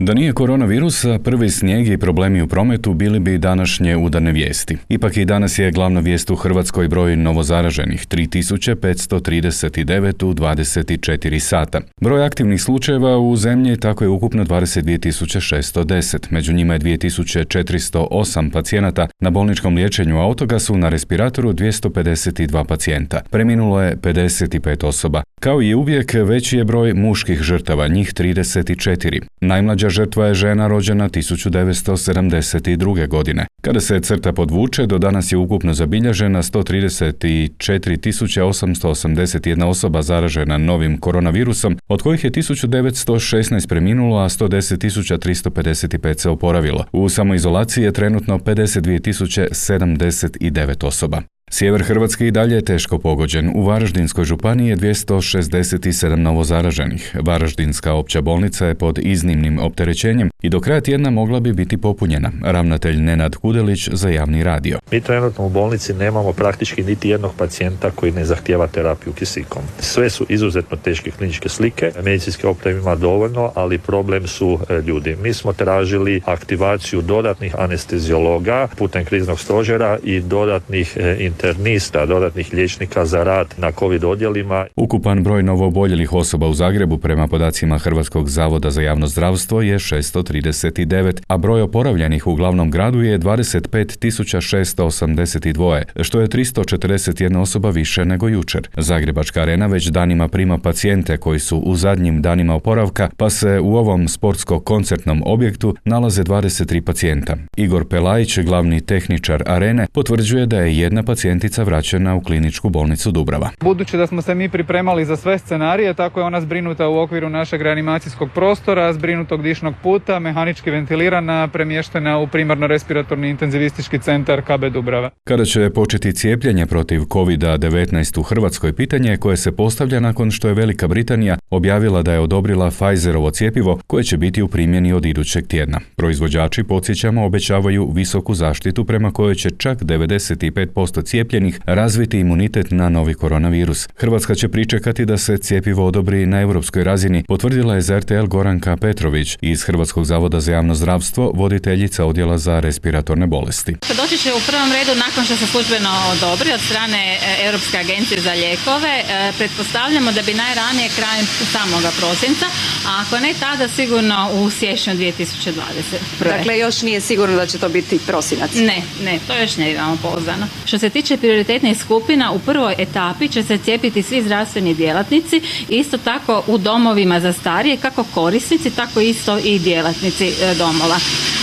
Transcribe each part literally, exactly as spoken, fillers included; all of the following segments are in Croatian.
Da nije koronavirusa, prvi snijeg i problemi u prometu bili bi današnje udarne vijesti. Ipak i danas je glavna vijest u Hrvatskoj broj novozaraženih tri tisuće petsto trideset devet u dvadeset četiri sata. Broj aktivnih slučajeva u zemlji tako je ukupno dvadeset dvije tisuće šesto deset. Među njima je dvije tisuće četiristo osam pacijenata na bolničkom liječenju, a od toga su na respiratoru dvjesto pedeset dva pacijenta. Preminulo je pedeset pet osoba. Kao i uvijek, veći je broj muških žrtava, njih trideset četiri. Najmlađa žrtva je žena rođena tisuću devetsto sedamdeset druge. godine. Kada se crta podvuče, do danas je ukupno zabilježena sto trideset četiri tisuće osamsto osamdeset jedna osoba zaražena novim koronavirusom, od kojih je tisuću devetsto šesnaest preminulo, a sto deset tisuća tristo pedeset pet se oporavilo. U samoizolaciji je trenutno pedeset dvije tisuće sedamdeset devet osoba. Sjever Hrvatske i dalje je teško pogođen. U Varaždinskoj županiji je dvjesto šezdeset sedam novozaraženih. Varaždinska opća bolnica je pod iznimnim opterećenjem i do kraja tjedna mogla bi biti popunjena. Ravnatelj Nenad Hudelić za javni radio. Mi trenutno u bolnici nemamo praktički niti jednog pacijenta koji ne zahtijeva terapiju kisikom. Sve su izuzetno teške kliničke slike. Medicinske opreme ima dovoljno, ali problem su ljudi. Mi smo tražili aktivaciju dodatnih anesteziologa putem kriznog stožera i dodatnih internista, dodatnih liječnika za rad na COVID odjelima. Ukupan broj novooboljelih osoba u Zagrebu prema podacima Hrvatskog zavoda za javno zdravstvo je šesto trideset devet, a broj oporavljenih u glavnom gradu je dvadeset pet tisuća šesto osamdeset dva, što je tristo četrdeset jedna osoba više nego jučer. Zagrebačka arena već danima prima pacijente koji su u zadnjim danima oporavka, pa se u ovom sportsko-koncertnom objektu nalaze dvadeset tri pacijenta. Igor Pelajić, glavni tehničar arene, potvrđuje da je jedna pacijentica vraćena u kliničku bolnicu Dubrava. Budući da smo se mi pripremali za sve scenarije, tako je ona zbrinuta u okviru našeg reanimacijskog prostora, zbrinutog dišnog puta, mehanički ventilirana, premještena u primarno respiratorni intenzivistički centar K B Dubrava. Kada će početi cijepljenje protiv kovid devetnaest u Hrvatskoj, pitanje koje se postavlja nakon što je Velika Britanija objavila da je odobrila Pfizerovo cjepivo koje će biti u primjeni od idućeg tjedna. Proizvođači, podsjećamo, obećavaju visoku zaštitu prema kojoj će čak devedeset pet posto cijepljenih razviti imunitet na novi koronavirus. Hrvatska će pričekati da se cjepivo odobri na europskoj razini, potvrdila je za R T L Goranka Petrović iz Hrvatskog zavoda za javno zdravstvo, voditeljica odjela za respiratorne bolesti. Doći će u prvom redu nakon što se službeno odobri od strane Europske agencije za lijekove. Pretpostavljamo da bi najranije krajem samoga prosinca, a ako ne tada sigurno u siječnju dvije tisuće dvadeset prve. Dakle, još nije sigurno da će to biti prosinac. Ne, ne, to još ne imamo pouzdano. Što se tiče prioritetnih skupina, u prvoj etapi će se cijepiti svi zdravstveni djelatnici, isto tako u domovima za starije, kako korisnici, tako isto i djelatnici domova.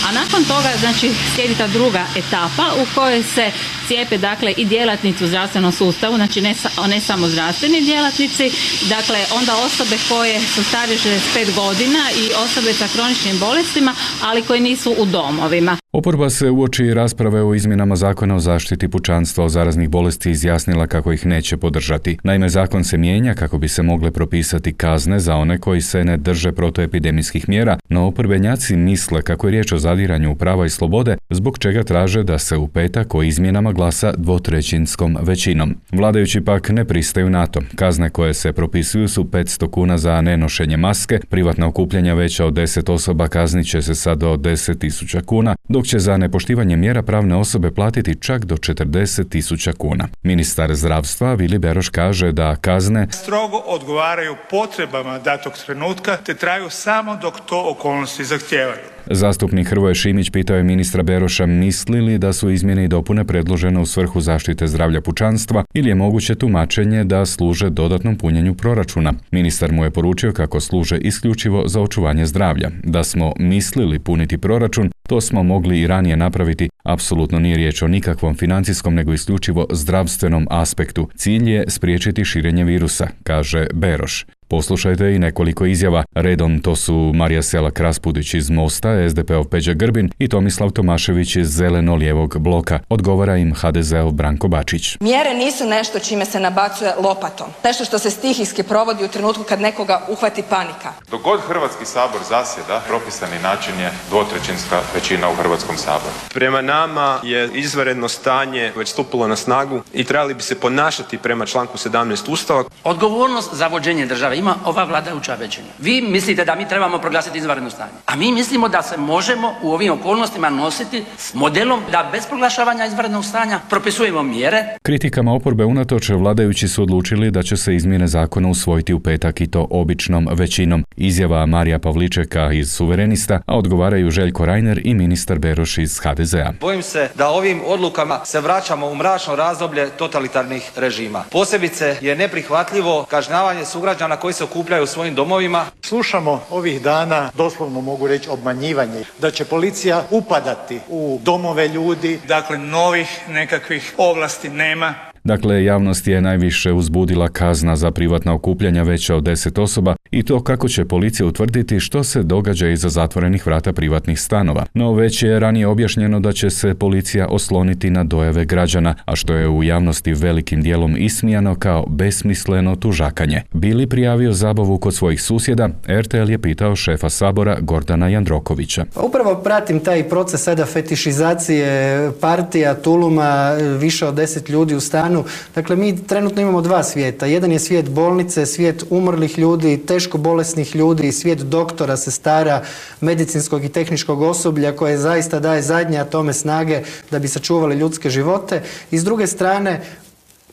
A nakon toga, znači, slijedi ta druga etapa u kojoj se cijepe, dakle, i djelatnici u zdravstvenom sustavu, znači ne, ne samo zdravstveni djelatnici, dakle, onda osobe koje su starije šezdeset pet godina i osobe sa kroničnim bolestima, ali koji nisu u domovima. Oporba se uoči rasprave o izmjenama zakona o zaštiti pučanstva od zaraznih bolesti izjasnila kako ih neće podržati. Naime, zakon se mijenja kako bi se mogle propisati kazne za one koji se ne drže protuepidemijskih mjera, no oporbenjaci misle kako je riječ o zadiranju u prava i slobode, zbog čega traže da se u petak o izmjenama glasa dvotrećinskom većinom. Vladajući pak ne pristaju na to. Kazne koje se propisuju su petsto kuna za nenošenje maske, privatna okupljanja veća od deset osoba kaznit će se sad do deset tisuća kuna, dok će za nepoštivanje mjera pravne osobe platiti čak do četrdeset tisuća kuna. Ministar zdravstva Vili Beroš kaže da kazne strogo odgovaraju potrebama datog trenutka te traju samo dok to okolnosti zahtijevaju. Zastupnik Hrvoje Šimić pitao je ministra Beroša misli li da su izmjene i dopune predložene u svrhu zaštite zdravlja pučanstva ili je moguće tumačenje da služe dodatnom punjenju proračuna. Ministar mu je poručio kako služe isključivo za očuvanje zdravlja. Da smo mislili puniti proračun, to smo mogli i ranije napraviti. Apsolutno nije riječ o nikakvom financijskom nego isključivo zdravstvenom aspektu. Cilj je spriječiti širenje virusa, kaže Beroš. Poslušajte i nekoliko izjava. Redom to su Marija Selak Raspudić iz Mosta, S D P-ov Peđa Grbin i Tomislav Tomašević iz Zeleno-lijevog bloka. Odgovara im H D Z-ov Branko Bačić. Mjere nisu nešto čime se nabacuje lopatom. Nešto što se stihijski provodi u trenutku kad nekoga uhvati panika. Dok god Hrvatski sabor zasjeda, propisani način je dvotrećinska većina u Hrvatskom saboru. Prema nama je izvanredno stanje već stupilo na snagu i trebali bi se ponašati prema članku sedamnaest Ustava. Odgovornost za vođenje države ima ova vladajuća većina. Vi mislite da mi trebamo proglasiti izvanredno stanje, a mi mislimo da se možemo u ovim okolnostima nositi s modelom da bez proglašavanja izvanrednog stanja propisujemo mjere. Kritikama oporbe unatoč vladajući su odlučili da će se izmjene zakona usvojiti u petak i to običnom većinom. Izjava Marija Pavličeka iz Suverenista, a odgovaraju Željko Reiner i ministar Beroš iz ha de zea. Bojim se da ovim odlukama se vraćamo u mračno razdoblje totalitarnih režima. Posebice je neprihvatljivo kažnjavanje sugrađana koji se okupljaju u svojim domovima. Slušamo ovih dana, doslovno mogu reći, obmanjivanje, da će policija upadati u domove ljudi. Dakle, novih nekakvih ovlasti nema. Dakle, javnost je najviše uzbudila kazna za privatna okupljanja veća od deset osoba i to kako će policija utvrditi što se događa iza zatvorenih vrata privatnih stanova. No već je ranije objašnjeno da će se policija osloniti na dojave građana, a što je u javnosti velikim dijelom ismijano kao besmisleno tužakanje. Bili prijavio zabavu kod svojih susjeda, er te el je pitao šefa Sabora Gordana Jandrokovića. Upravo pratim taj proces sada fetišizacije partija, tuluma, više od deset ljudi u stanu. Dakle, mi trenutno imamo dva svijeta. Jedan je svijet bolnice, svijet umrlih ljudi, teško bolesnih ljudi, svijet doktora, sestara, medicinskog i tehničkog osoblja koje zaista daje zadnje atome snage da bi sačuvali ljudske živote. I s druge strane,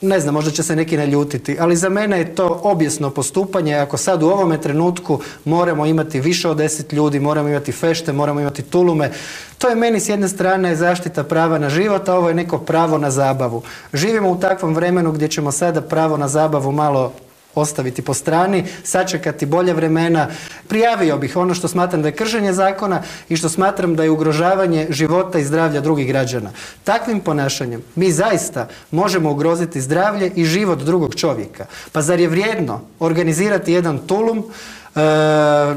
ne znam, možda će se neki naljutiti, ali za mene je to objesno postupanje. Ako sad u ovome trenutku moramo imati više od deset ljudi, moramo imati fešte, moramo imati tulume, to je meni s jedne strane zaštita prava na život, a ovo je neko pravo na zabavu. Živimo u takvom vremenu gdje ćemo sada pravo na zabavu malo ostaviti po strani, sačekati bolje vremena. Prijavio bih ono što smatram da je kršenje zakona i što smatram da je ugrožavanje života i zdravlja drugih građana. Takvim ponašanjem mi zaista možemo ugroziti zdravlje i život drugog čovjeka. Pa zar je vrijedno organizirati jedan tulum, E,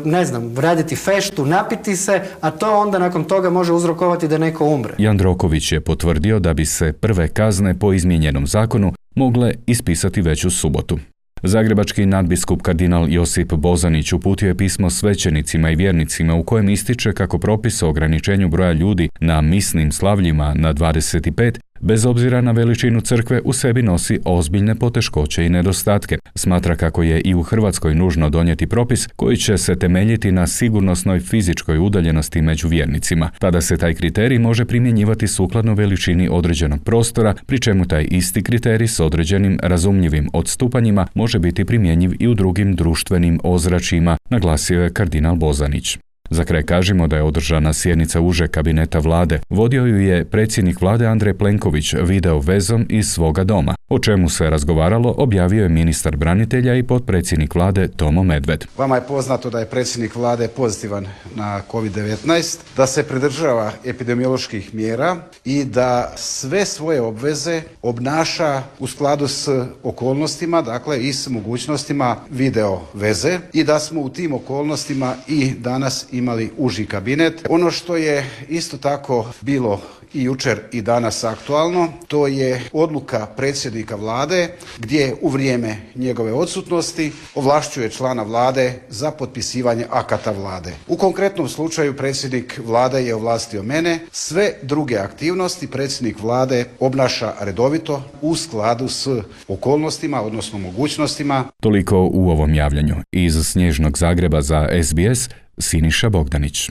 ne znam, raditi feštu, napiti se, a to onda nakon toga može uzrokovati da neko umre. Jandroković je potvrdio da bi se prve kazne po izmijenjenom zakonu mogle ispisati već u subotu. Zagrebački nadbiskup kardinal Josip Bozanić uputio je pismo svećenicima i vjernicima u kojem ističe kako propis o ograničenju broja ljudi na misnim slavljima na dvadeset pet, bez obzira na veličinu crkve, u sebi nosi ozbiljne poteškoće i nedostatke. Smatra kako je i u Hrvatskoj nužno donijeti propis koji će se temeljiti na sigurnosnoj fizičkoj udaljenosti među vjernicima. Tada se taj kriterij može primjenjivati sukladno veličini određenog prostora, pri čemu taj isti kriterij s određenim razumljivim odstupanjima može biti primjenjiv i u drugim društvenim ozračjima, naglasio je kardinal Bozanić. Za kraj kažemo da je održana sjednica užeg kabineta vlade. Vodio ju je predsjednik vlade Andrej Plenković video vezom iz svoga doma. O čemu se razgovaralo objavio je ministar branitelja i potpredsjednik vlade Tomo Medved. Vama je poznato da je predsjednik vlade pozitivan na kovid devetnaest, da se pridržava epidemioloških mjera i da sve svoje obveze obnaša u skladu s okolnostima, dakle i s mogućnostima video veze, i da smo u tim okolnostima i danas imali uži kabinet. Ono što je isto tako bilo i jučer i danas aktualno, to je odluka predsjednika vlade gdje u vrijeme njegove odsutnosti ovlašćuje člana vlade za potpisivanje akata vlade. U konkretnom slučaju predsjednik vlade je ovlastio mene, sve druge aktivnosti predsjednik vlade obnaša redovito u skladu s okolnostima, odnosno mogućnostima. Toliko u ovom javljanju. Iz snježnog Zagreba za es be es, Siniša Bogdanić.